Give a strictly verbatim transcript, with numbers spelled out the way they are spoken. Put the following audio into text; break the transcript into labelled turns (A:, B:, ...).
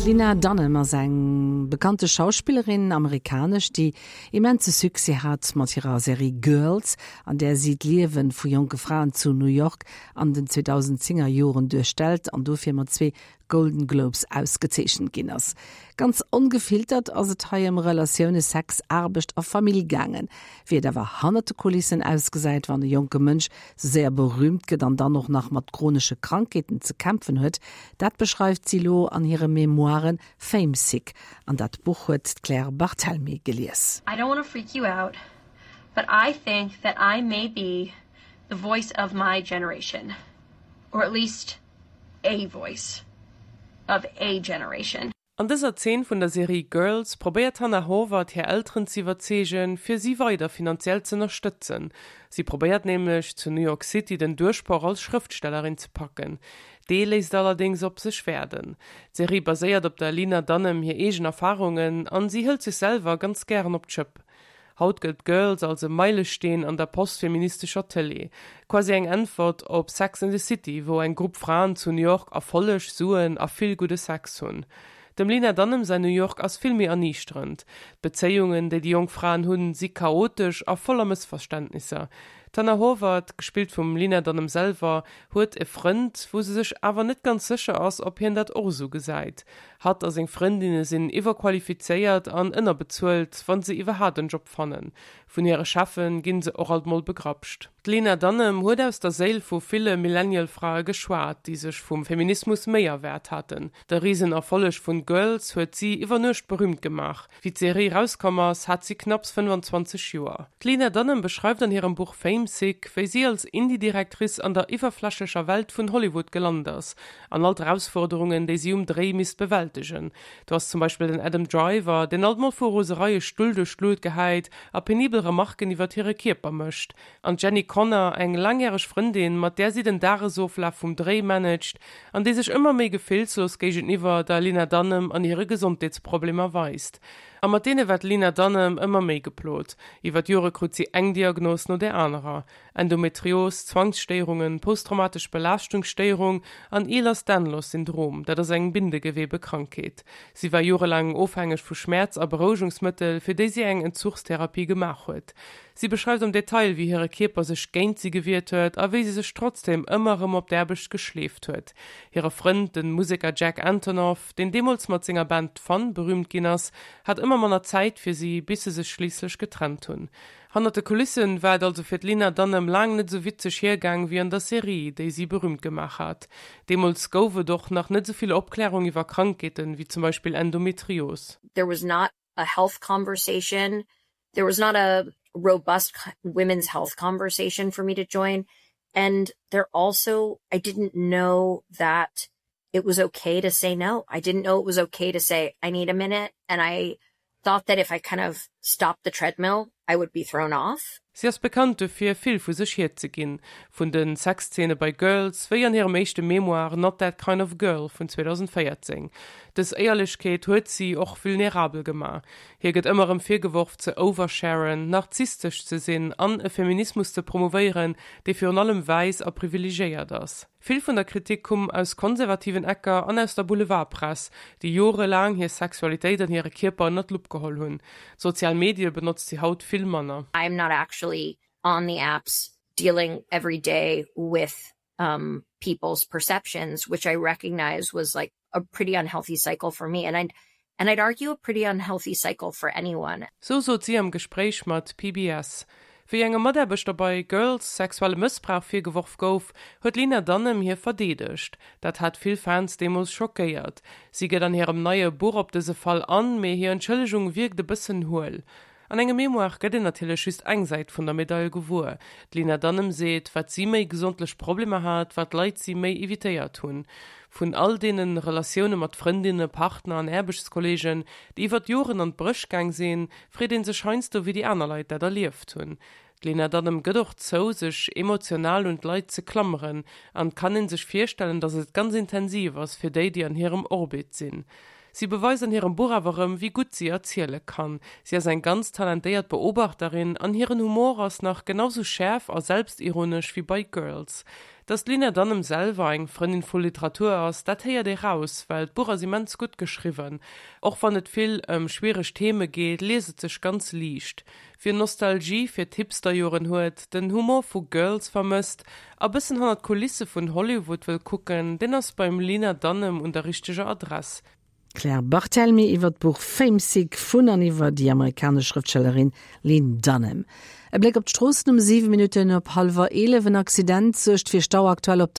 A: D'Lena Dunham ass eng bekannte Schauspillerin, amerikanesch, déi immense Succès hat mat hirer Serie Girls, an där si d'Liewe vu jonke Fraen zu New York an den zweedausendzénger Joren duerstellt an dofir mat zwee Golden Globes ausgezeechent ginn ass. Ganz ongefiltert ass et hei ëm Relatioune, Sex, Aarbecht a Famill gaangen. Wéi et awer hannert de Kulissen ausgesäit, wann e jonke Mënsch sou séier berüümt gëtt an dann och nach mat chronesche Krankheeten ze kämpfen huet, dat beschreift si lo an hire Memoiren Fame Sick. An dat Buch huet d'Claire Barthelmy gelies.
B: I don't want to freak you out, but I think that I may be the voice of my generation. Or at least a voice of a generation.
C: An dëser Zeen vun der Serie Girls probéiert d'Hannah Horvath hir Elteren ze iwwerzeegen, fir si weider finanziell ze ënnerstëtzen. Si probéiert nämlech zu New York City den Duerchbroch als Schrëftstellerin ze packen. Dee léisst allerdéngs op sech waarden. D'Serie baséiert op der Lena Dunham hir eegen Erfarungen an si hëlt sech selwer ganz gären op d'Schëpp. Haut gëllt Girls als e Meilesteen an der postfeministescher Tëlee. Quasi eng Äntwert op Sex and the City, wou eng Grupp Fraen zu New York Erfolleg, Suen a vill gudde Sex hunn. Dem Lena Dunham säin New York ass vill méi erniichterend. D'Bezéiungen, déi déi jonk Fraen hunn, si chaotesch a voller Mëssverständnisser. D'Hannah Horvath, gespillt vum Lena Dunham selwer, huet e Frënd, wou se sech awer net ganz sécher ass, ob hien dat och esou gesäit. Hatt a seng Frëndinne sinn iwwerqualifizéiert an ënnerbezuelt, wann se iwwerhaapt en Job fannen. Vun hire Cheffe ginn se och alt mol begrapscht. D'Lena Dunham huet aus der Séil vu ville Millennial-Frae geschwat, déi sech vum Feminismus méi erwaart haten. De Risenerfolleg vun Girls huet si iwwer Nuecht berüümt gemaach. Wéi d'Serie rauskomm ass, hat si knapps fënnfanzwanzeg Joer. D'Lena Dunham beschreift an hirem Buch Fame Sick, wéi si als Indie-Directrice an der iwwerflächlecher Welt vun Hollywood gelant ass an all d'Erausfuerderungen, déi si um Dréi misst bewältegen. Do ass zum Beispill den Adam Driver, deen alt mol vu Roserei e Stull duerch d'Luet gehäit a penibel Remarken iwwert hire Kierper mécht, an d'Jenny Konner, eng laangjäreg Frëndin, mat där si den Dagesoflaf vum Dréi managt an déi sech ëmmer méi gefillslos géigeniwwer der Lena Dunham an hire Gesondheetsproblemer weist. A mat deene war d'Lena Dunham ëmmer méi geplot. Iwwer d'Jore krut si eng Diagnos no där anerer, Endometrios, Zwangsstéierungen, posttraumatesch Belaaschtungsstéierung an Ehlers-Danlos-Syndrom, dat ass eng Bindegewebekrankheet. Si war jorelaang ofhängeg vu Schmäerz a Berouegungsmëttel, fir déi si eng Entzuchstherapie gemaach huet. Si beschreift am Detail, wéi hire Kierper sech géint si gewiert huet a wéi si sech trotzdeem ëmmer erëm op d'Aarbecht geschleeft huet. Hire Frënd, de Museker Jack Antonoff, deen deemools mat senger Band Fun berüümt ginn ass, hat ëmmer manner Zäit fir si, bis se sech schliisslech getrennt hunn. Hannert de Kulissen war et also fir d'Lena Dunham laang net esou witzeg hiergaang wéi an der Serie, déi si berüümt gemaach hat. Deemools gouf et och nach net esou vill Opklärung iwwer Krankheeten, wéi zum Beispill Endometrios.
D: There was not a health conversation. There was not a robust women's health conversation for me to join. And there also, I didn't know that it was okay to say no. I didn't know it was okay to say, I need a minute. And I thought that if I kind of stopped the treadmill, I would be thrown off.
C: Si ass bekannt dofir, vill vu sech hierzeginn, vun de Sexzeene bei Girls wéi an hirem éischte Memoir Not That Kind of Girl vun zweedausendvéierzéng. Dës Éierlechkeet huet si och vulnerabel gemaach. Hir gëtt ëmmer erëm virgeworf ze oversharen, narzisstesch ze sinn an e Feminismus ze promouvéieren, dee virun allem wäiss a privilegéiert ass. Vill vun der Kritik koum aus konservativen Ecker an aus der Boulevardpress, déi jorelaang hir Sexualitéit an hire Kierper ënner d'Lupp geholl hunn. D'sozial Medie benotzt si haut vill manner.
D: I'm not actually on the apps dealing every day with um, people's perceptions, which I recognize was like a pretty unhealthy cycle for me. And I'd, and I'd argue a pretty unhealthy cycle for anyone.
C: Sou sot si am Gespréich mat P B S. Wéi engem Mataarbechter bei Girls sexuelle Mëssbrauch virgeworf gouf, huet d'Lena Dunham hie verdeedegt. Dat hat vill Fans deemools schockéiert. Si geet an hirem neie Buch op dëse Fall an, mee hir Entschëllegung wierkt e bëssen huel. An engem Memoir gëtt een natierlech just eng Säit vun der Medail gewuer. D'Lena Dunham seet, wat si méi gesondlech Problemer hat, wat d'Leit si méi evitéiert hunn. Vun all deene Relatioune mat Frëndinne, Partner an Aarbechtskolleegen, déi iwwer d'Joren an d'Bréch gaang sinn, freet ee sech heiansdo, wéi déi aner Leit dat erlieft hunn. D'Lena Dunham gëtt och zou, sech emotional un d'Leit ze klammeren, an et kann ee sech virstellen, datt et ganz intensiv ass fir déi, déi an hirem Orbit sinn. Si beweist an hirem Buch awer erëm, wéi gutt si erziele kann. Si ass eng ganz talentéiert Beobachterin an hiren Humor ass nach genau sou schäerf a selbstironesch wéi bei Girls. Dass d'Lena Dunham selwer eng Frëndin vu Literatur ass, dat héiert ee raus, well d'Buch ass immens gutt geschriwwen. Och wann et vill ëm schwiereg Theme geet, liest et sech ganz liicht. Wien Nostalgie fir d'Hipsterjoren huet, den Humor vu Girls vermësst a bëssen hannert d'Kulisse vun Hollywood wëll kucken, deen ass beim Lena Dunham un der richteger Adress.
A: D'Claire Barthelmy iwwer d'Buch Famesick vun an iwwer déi amerikanesch Schrëftstellerin Lena Dunham. E Bléck op d'Stroossen um siwe Minutten op hallwer eelef. En Accident suergt fir Stau aktuell op